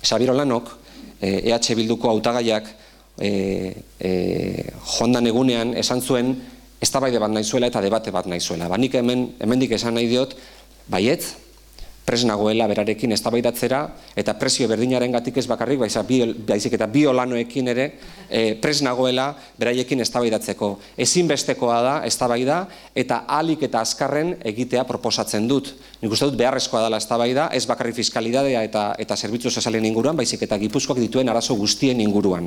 Xabier Olanok, EH Bilduko hautagaiak joan dan egunean esan zuen eztabaide bat nahi zuela eta debate bat nahi zuela. Nik hemendik esan nahi diot, baietz, pres nagoela berarekin eztabaidatzera eta presio berdinarengatik ez bakarrik, baizik eta bi Olanoekin ere pres nagoela beraiekin eztabaidatzeko. Ezinbestekoa da eztabaida eta ahalik eta azkarren egitea proposatzen dut. Nik uste dut beharrezkoa dela eztabaida, ez bakarrik fiskalidadea eta zerbitzu sozialen inguruan, baizik eta Gipuzkoak dituen arazo guztien inguruan.